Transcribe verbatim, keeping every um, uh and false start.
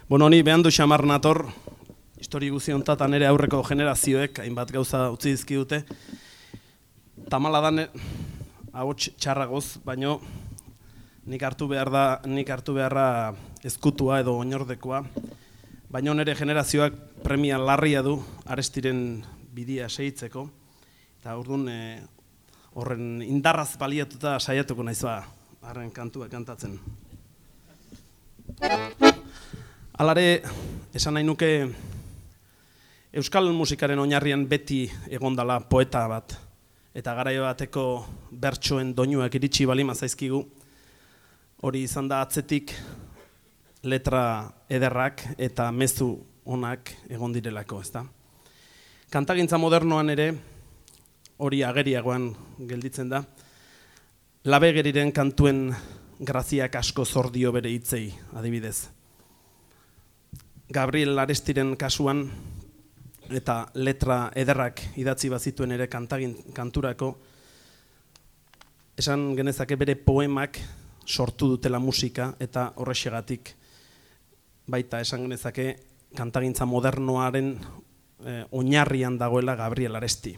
Bueno, ni behan du xamar nator, histori guzi hontatan ere aurreko generazioek, hainbat gauza utzi dizkidute. Tamala da, ahots txarragoz, baino nik hartu behar da, nik hartu beharra ezkutua edo oinordekoa. Baina nire generazioak premia larria du Arestiren bidia segitzeko. Eta orduan e, horren indarraz baliatuta saiatuko naiz ba, harren kantua kantatzen. Halare, esan nahi nuke euskal musikaren oinarrian beti egondala poeta bat. Eta garaio bateko bertsoen doinuak iritsi balima zaizkigu. Hori izan da atzetik letra ederrak eta mezu onak egon direlako, ezta? Kantagintza modernoan ere hori ageriagoan gelditzen da. Labegeriren kantuen graziak asko zordio bere hitzei, adibidez. Gabriel Arestiren kasuan eta letra ederrak idatzi bazituen ere kantagin kanturako, esan genezake bere poemak sortu dutela musika eta horrexegatik baita esan genezake kantagintza modernoaren eh, oinarrian dagoela Gabriel Aresti.